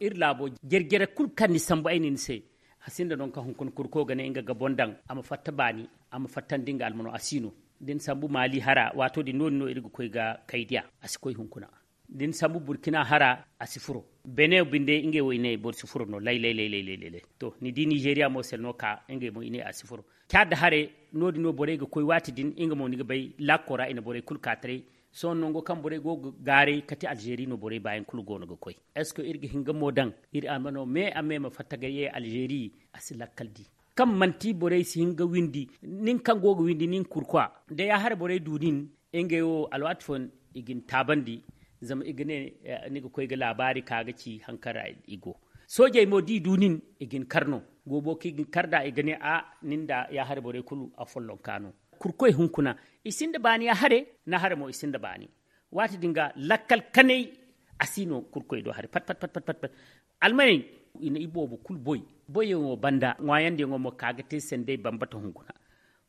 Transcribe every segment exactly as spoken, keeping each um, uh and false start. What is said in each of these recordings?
Iri laabo jere-jere kulu kaŋ ni sambu ay ne ni se, a sinda nangu kaŋ hunkuna kurko ga ne nga ga boŋ daŋ a ma fatta baani, a ma fattandi nga almano, a si no. Da ni sambu maali hara, waato din no-din no iri ga koy ga kaydiya, a si koy hunkuna. Da ni sambu burkina hara, a si furo. Bene binde ngey wo i ne boro si furo no lay lay lay lay. To ni di nizeeriya mo sel no ka ngey mo i ne a si furo. Caada hare, no-din no borey ga koy waati din nga mo ni ga bay laako ra i na borey kulu ka taray. Sohõ nango kaŋ borey go ga gaaray kate alzeeri no borey baayaŋ kulu go no ga koy. Est ce que iri ga hin ga mo daŋ? Iri a ma no me a me ma fatta ga ye alzeeri, a si lakkal di. Kaŋ manti borey si hin ga windi, nin kaŋ go ga windi nin kurkwa, da ya hare borey du nin, ngey wo alwaati fooyaŋ i ga ni taabandi. Zama i ga ne ni ga koy ga laabaari ka ga ci haŋ kaŋ ra i go. Soojey mo da i du nin, i ga ni kar no. Goobo kaŋ i ga ni kar nd'a, i ga ne a, nin nda ya hare borey kulu a follonka no. Kurkoy hunkuna, i sinda baani ya hare, na hare mo i sinda baani. Waati din ga lakkal kanay, a si no kurkoy do hare pat pat pat pat pat. Almaney, i na i boobo kulu boy. Boyyaŋo banda ŋwaayandiyaŋo mo ka ga te sendey bambata hunkuna.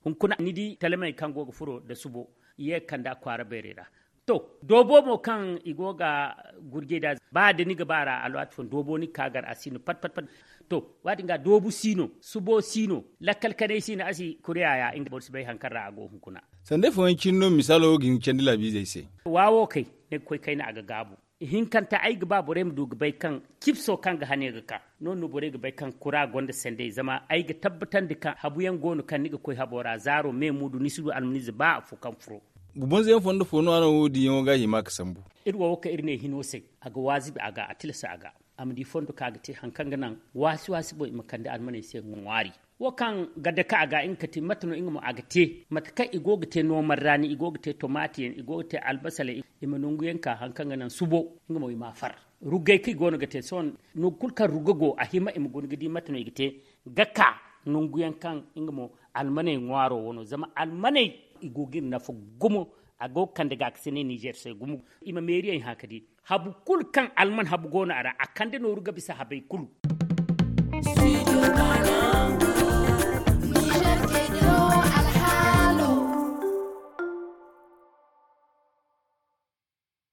Hunkuna ni di talamey kaŋ go ga furo nda subo, ye ga kand'a kwaara bayrey ra. To, doobo mo kaŋ i go ga gurjey nd'a, ba da ni ga ba ra alwaati fooyaŋ doobo ni ga ka gar a si no pat pat pat. To, waati din ga doobu si no, subo si no, lakkal kanay si no, a si kuriya ya nga boro si bay haŋ kaŋ ra a go hunkuna. Sandey fooyaŋ cine no misaalo wo ga hin ga candi laabiizey se. Waawo kay, ni ga koy kayna a ga gaabu. Ihinkanta ay ga ba borey ma du ga bay kaŋ cipso kaŋ ga hane ga ka. No- din no borey ga bay kaŋ kura gonda sendey zama ay ga tabbatandi kaŋ habuyaŋ go no kaŋ ni ga koy habo ra zaaro me muudu ni si du almaniize ba afo kaŋ furo. Gubanzayaŋ fondo fo no a no wo- din yaŋo ga hima ga sambu. Iri wo wo kaŋ iri ne hino se, a ga waazibi a ga a tilasa a ga, a ma di fondo kaŋ a ga te haŋ kaŋ ga naŋ waasi waasi boŋ i ma kande almaney se ŋwaari. Wo kaŋ ga dake a ga nga ga ti mate no nga mo a ga te, mate kaŋ i go ga te noomar raani, i go ga te tomaati yaŋ, i go ga te albasale, i ma nangu yaŋ ka haŋ kaŋ ga naŋ subo, nga mo i ma a far. Ruggay kaŋ i go no ga te sohõ, nangu kulu kaŋ rugga go a hima i ma guna ga di mate no i ga te, ga ka nangu yaŋ kaŋ nga mo almaney ŋwaaro wano zama almaney i go ga iri nafa gumo. A go ga kande ga ka si ne nizer se gumo. I ma meeri yaŋ hã ka di habu kulu kaŋ alman habu go no a ra a kande nooru ga bisa habey kulu.